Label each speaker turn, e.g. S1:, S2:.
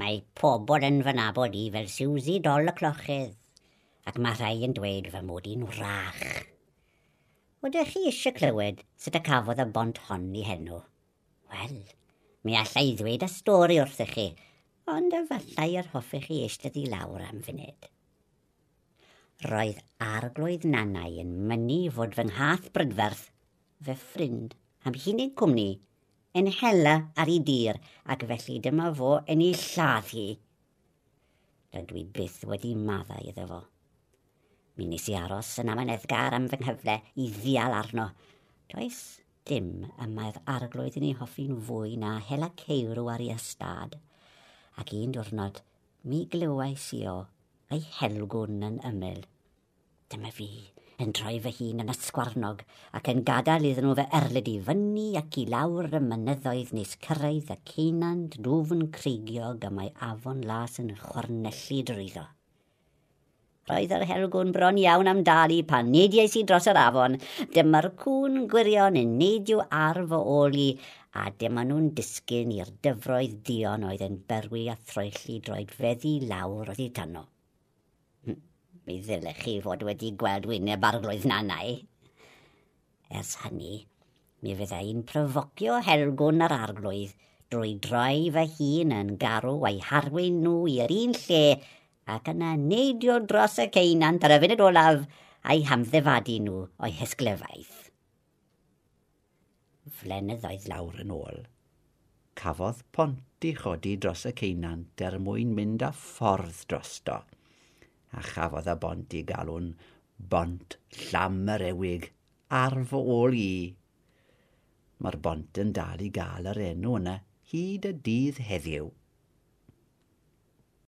S1: Mae pobl yn fy nabod i fel Susie Dol y Clochydd, ac mae rhai yn dweud fy mod i'n wrach. Ydych chi eisiau clywed sut y cafodd y bont hon i henw? Wel, mi alla i ddweud y stori wrthych chi, ond efallai yr hoffech chi eistedd i lawr am funud. Roedd arglwydd Nannau yn mynnu fod fy nghath brydferth, fy ffrind, am hunig cwmni, yn hela ar ei dir, ac felly dyma fo yn ei lladd hi. Dydw i byth wedi maddau iddo fo. Mi nes i aros yn amyneddgar am fy nghyfle i ddial arno. Does dim y mae'r arglwydd yn ei hoffi'n fwy na hela ceirw ar ei ystâd. Ac un diwrnod, mi glywais i o a'i helgwn yn ymyl. Dyma fi yn troi fy hun yn ysgwarnog ac yn gadael iddyn nhw fy erlid i fyny ac i lawr y mynyddoedd nes cyrraedd y ceunant dwfn creigiog y mae afon las yn chwarnellu drwyddo. Roedd yr helgwn bron iawn am dalu pan neidiais i dros yr afon. Dyma'r cŵn gwirion yn neidio ar fy ôl i, a dyma nhw'n disgyn i'r dyfroedd duon oedd yn berwi a throelli droedfeddi lawr oddi tano. Mi ddylech chi fod wedi gweld wyneb arglwydd Nannau. Ers hynny, mi fydda i'n pryfocio helgwn yr arglwydd drwy droi fy hun yn garw a'i harwain nhw i'r un lle ac yna neidio dros y ceunant ar y funud olaf a'i hamddifadu nhw o'i hysglyfaeth. Flynyddoedd
S2: lawr yn ôl, cafodd pont ei chodi dros y ceunant er mwyn mynd â ffordd drosto, a chafodd y bont ei galw'n bont Llam-yr-Ewig ar fy ôl i. Mae'r bont yn dal i gael yr enw yna hyd y dydd heddiw.